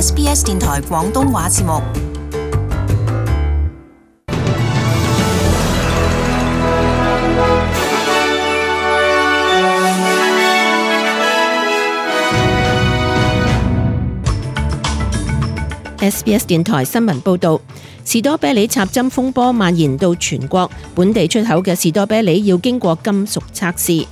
SBS 電台廣東話節目。SBS 電台新聞報導，士多啤梨插針風波蔓延到全國，本地出口嘅士多啤梨要經過金屬測試。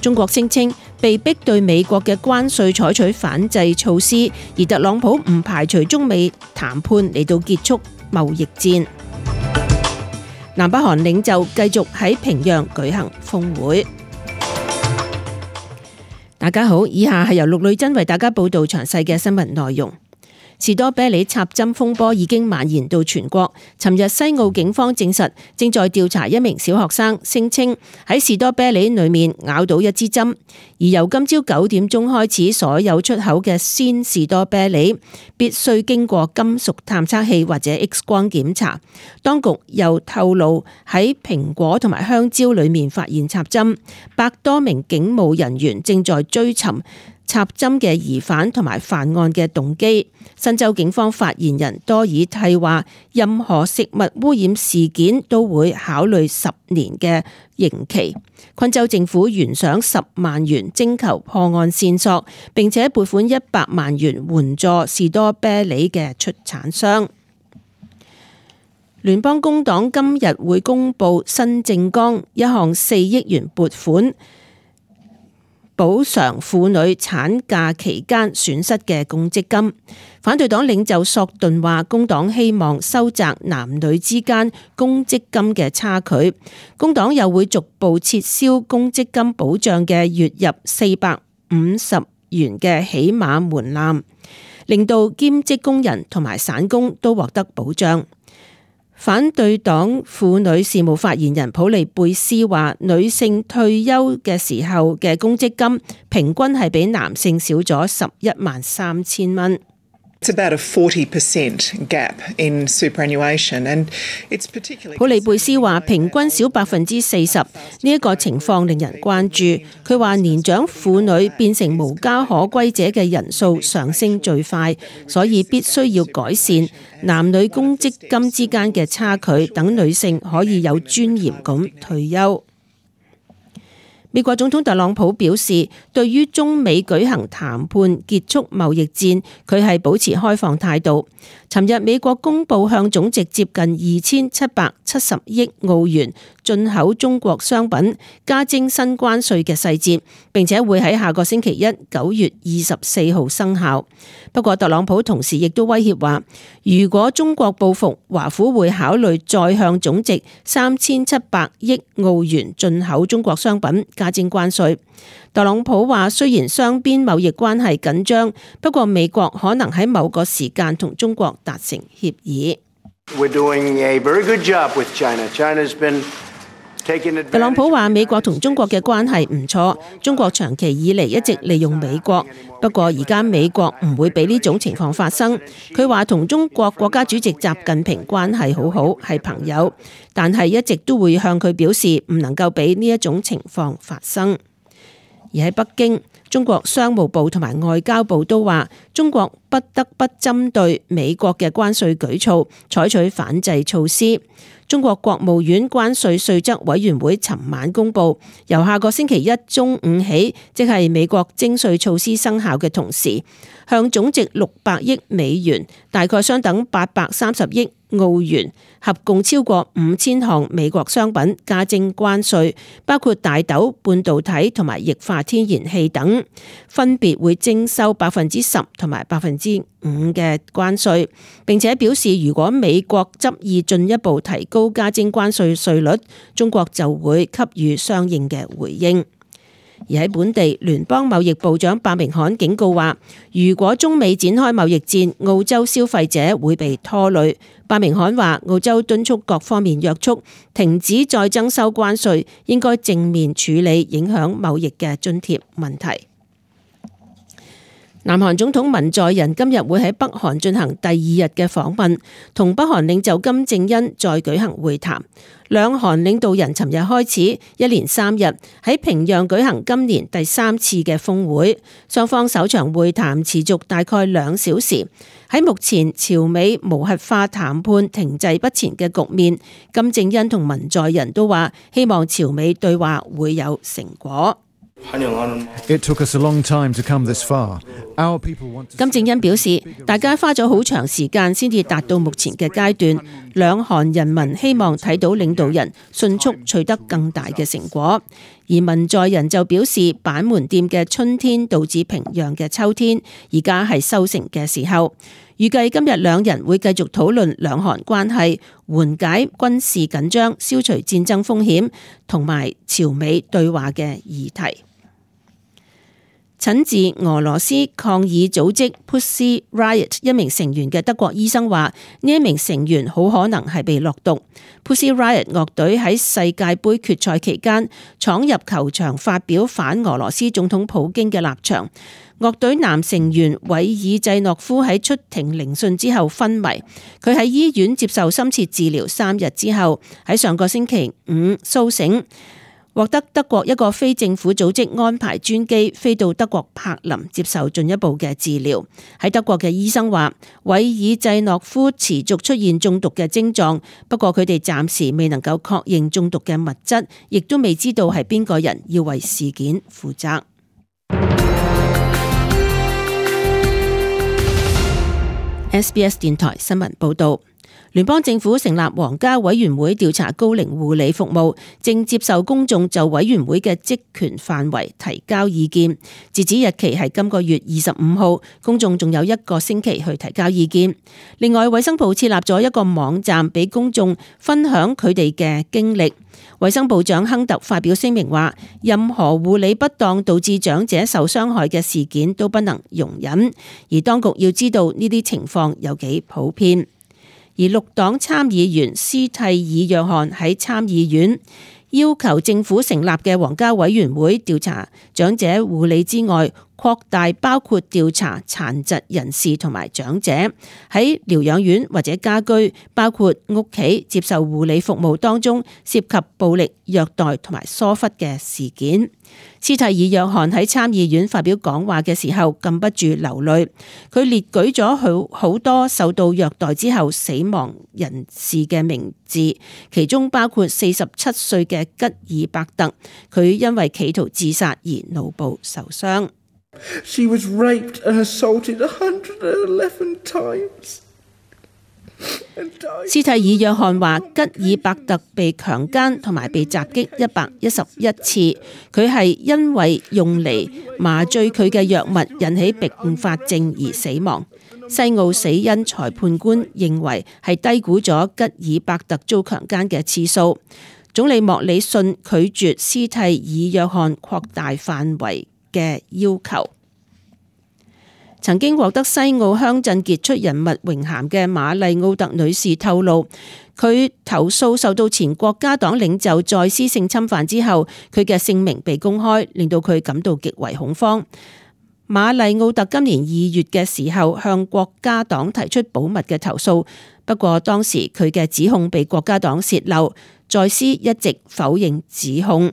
中國聲稱被逼對美國嘅關稅採取反制措施，而特朗普唔排除中美談判嚟到結束貿易戰。南北韓領袖繼續喺平壤舉行峰會。大家好，以下係由陸女真為大家報導詳細嘅新聞內容。士多啤梨插針風波已經蔓延到全國。尋日西澳警方證實，正在調查一名小學生聲稱喺士多啤梨裏面咬到一支針。而由今朝9點鐘開始，所有出口嘅鮮士多啤梨必須經過金屬探測器或者 X 光檢查。當局又透露喺蘋果同埋香蕉裏面發現插針，100多名警務人員正在追尋插針嘅疑犯同埋犯案嘅動機。新州警方發言人多爾蒂話，任何食物污染事件都會考慮10年嘅刑期。昆州政府懸賞10萬元徵求破案線索，並且撥款100萬元援助士多啤梨嘅出產商。聯邦工黨今日會公布新政綱，一項4億元撥款補償婦女產假期間損失嘅公積金。反對黨領袖索頓話，工黨希望收窄男女之間公積金嘅差距。工黨又會逐步撤銷公積金保障嘅月入450元嘅起碼門檻，令到兼職工人同埋散工都獲得保障。反對黨婦女事務發言人普利貝斯話，女性退休嘅時候嘅公積金平均係比男性少咗113000蚊。It's about a 40% gap in superannuation, and it's particularly. 普利貝斯話，平均少40%，呢一個情況令人關注。佢話年長婦女變成無家可歸者嘅人數上升最快，所以必須要改善男女公積金之間嘅差距，等女性可以有尊嚴咁退休。美國總統特朗普表示，對於中美舉行談判結束貿易戰，佢係保持開放態度。尋日美國公布向總值接近2770億澳元進口中國商品加徵新關稅嘅細節，並且會喺下個星期一9月24號生效。不過特朗普同時亦都威脅話，如果中國報復，華府會考慮再向總值3700億澳元進口中國商品加徵關稅。特朗普話，雖然雙邊貿易關係緊張，不過美國可能喺某個時間同中國達成協議。特朗普話，美國同中國嘅關係唔錯，中國長期以嚟一直利用美國，不過而家美國唔會俾呢種情況發生。佢話同中國國家主席習近平關係好好，係朋友，但係一直都會向佢表示唔能夠俾呢一種情況發生。而喺北京，中國商務部同埋外交部都話，中國不得不針對美國嘅關稅舉措採取反制措施。中國國務院關稅稅則委員會尋晚公布，由下個星期一中午起，即係美國徵稅措施生效嘅同時，向總值600億美元，大概相等830億澳元，合共超過5000項美國商品加徵關稅，包括大豆、半導體同埋液化天然氣等，分別會徵收10%同埋5%嘅關稅，並且表示如果美國執意進一步提高加徵關稅稅率，中國就會給予相應嘅回應。而喺本地，聯邦貿易部長伯明翰警告話，如果中美展開貿易戰，澳洲消費者會被拖累。伯明翰話，澳洲敦促各方面約束，停止再徵收關稅，應該正面處理影響貿易嘅津貼問題。南韓總統文在寅今日會喺北韓進行第2日嘅訪問，同北韓領袖金正恩再舉行會談。兩韓領導人尋日開始一連3日喺平壤舉行今年第3次嘅峰會，雙方首場會談持續大概2小時。喺目前朝美無核化談判停滯不前嘅局面，金正恩同文在寅都話希望朝美對話會有成果。金正恩表示，大家花咗好長時間先至達到目前嘅階段，兩韓人民希望睇到領導人迅速取得更大嘅成果。而文在寅就表示，板門店嘅春天導致平壤嘅秋天，而家係收成嘅時候。預計今日兩人會繼續討論兩韓關係、緩解軍事緊張、消除戰爭風險同埋朝美對話嘅議題。診治俄羅斯抗議組織 Pussy Riot 一名成員嘅德國醫生話，呢一名成員好可能係被落毒。Pussy Riot 樂隊喺世界盃決賽期間闖入球場發表反俄羅斯總統普京嘅立場。樂隊男成員韋爾濟諾夫喺出庭聆訊之後昏迷，佢喺醫院接受深切治療3日之後，喺上個星期5甦醒，獲得德國一個非政府組織安排專機飛到德國柏林接受進一步嘅治療。喺德國嘅醫生話，韋爾濟諾夫持續出現中毒嘅症狀，不過佢哋暫時未能夠確認中毒嘅物質，亦都未知道係邊個人要為事件負責。SBS 電台新聞報道，聯邦政府成立皇家委員會調查高齡護理服務，正接受公眾就委員會嘅職權範圍提交意見。截止日期係今個月25號，公眾仲有1個星期去提交意見。另外，衛生部設立咗一個網站俾公眾分享佢哋嘅經歷。衛生部長亨特發表聲明話，任何護理不當導致長者受傷害嘅事件都不能容忍，而當局要知道呢啲情況有幾普遍。而綠黨參議員斯蒂爾約翰喺參議院要求政府成立嘅皇家委員會調查長者護理之外，擴大包括調查殘疾人士同埋長者喺療養院或者家居，包括屋企接受護理服務當中涉及暴力、虐待同埋疏忽嘅事件。斯蒂爾約翰喺參議院發表講話嘅時候禁不住流淚，佢列舉咗好多受到虐待之後死亡人士嘅名字，其中包括47歲嘅吉爾伯特，佢因為企圖自殺而腦部受傷。She was raped and assaulted 111 times. 斯蒂爾約翰話，吉爾伯特被強姦同埋被襲擊111次，佢係因為用嚟麻醉佢嘅藥物引起併發症而死亡。西澳死因裁判官認為係低估咗吉爾伯特遭強姦嘅次數。總理莫里遜拒絕斯蒂爾約翰擴大範圍嘅要求。曾經獲得西澳鄉鎮傑出人物榮銜嘅瑪麗奧特女士透露，佢投訴受到前國家黨領袖再施性侵犯之後，佢嘅姓名被公開，令到佢感到極為恐慌。瑪麗奧特今年2月嘅時候向國家黨提出保密嘅投訴，不過當時佢嘅指控被國家黨洩漏，再施一直否認指控。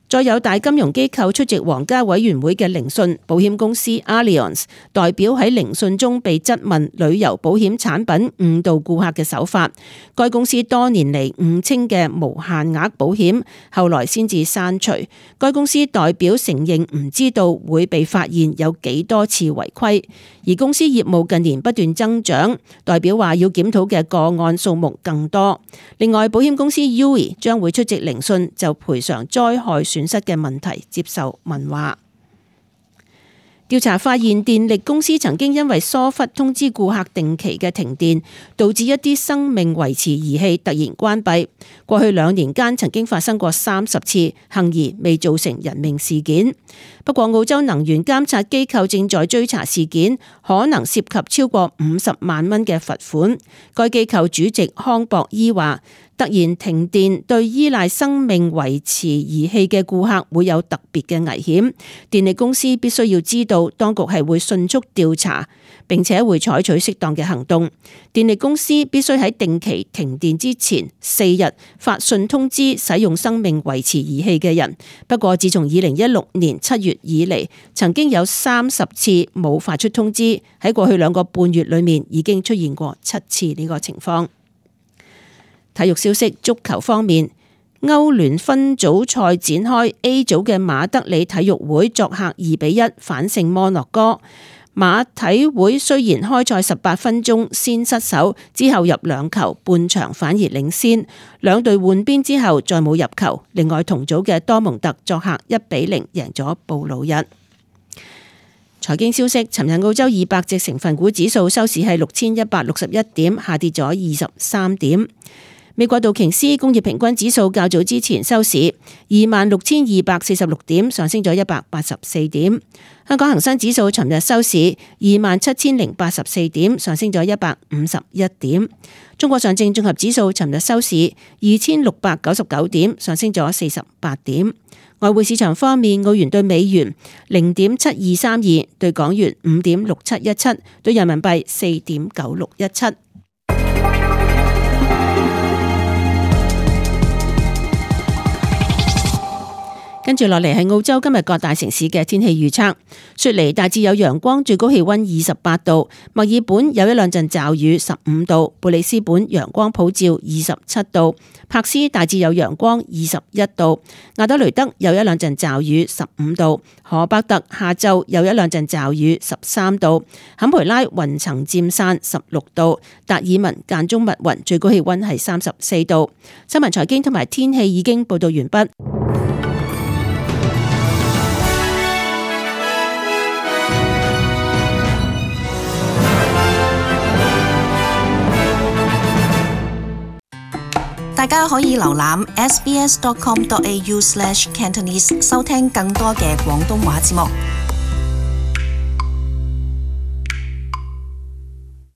再有大金融機構出席皇家委員會嘅聆訊，保險公司 Allianz 代表喺聆訊中被質問旅遊保險產品誤導顧客嘅手法。該公司多年嚟誤稱嘅無限額保險，後來先至刪除。該公司代表承認唔知道會被發現有幾多次違規，而公司業務近年不斷增長，代表話要檢討嘅個案數目更多。另外，保險公司 UE 將會出席聆訊，就賠償災害損失嘅問題接受問話。調查發現，電力公司曾經因為疏忽通知顧客定期嘅停電，導致一啲生命維持儀器突然關閉。過去2年間曾經發生過30次，幸而未造成人命事件。不過，澳洲能源監察機構正在追查事件，可能涉及超過50萬蚊嘅罰款。該機構主席康博伊話，突然停電對依賴生命維持儀器嘅顧客會有特別嘅危險，電力公司必須要知道，當局係會迅速調查，並且會採取適當嘅行動。電力公司必須喺定期停電之前4日發信通知使用生命維持儀器嘅人。不過，自從2016年7月以嚟，曾經有30次冇發出通知，喺過去2個半月裏面已經出現過7次呢個情況。體育消息，足球方面，歐聯分組賽展開 ，A 組嘅馬德里體育會作客2-1反勝摩洛哥。馬體會雖然開賽18分鐘先失手，之後入2球，半場反而領先。兩隊換邊之後再冇入球。另外同組嘅多蒙特作客1-0贏咗布魯日。財經消息，尋日澳洲200隻成分股指數收市係6161點，下跌咗23點。美國道瓊斯工業平均指數較早之前收市26,246點，上升咗184點。香港恒生指數尋日收市27,084點，上升咗151點。中國上證綜合指數尋日收市2,699點，上升咗48點。外匯市場方面，澳元對美元0.7232，對港元5.6717，對人民幣4.9617。跟住落嚟係澳洲今日各大城市嘅天氣預測。雪梨大致有陽光，最高氣溫28度；墨爾本有1-2陣驟雨，15度；布里斯本陽光普照，27度；柏斯大致有陽光，21度；亞德雷德有1-2陣驟雨，15度；荷伯特下晝有1-2陣驟雨，13度；坎培拉雲層漸散，16度；達爾文間中密雲，最高氣溫係34度。新聞財經同埋天氣已經報道完畢。大家可以瀏覽 sbs.com.au/cantonese 收聽更多嘅廣東話節目。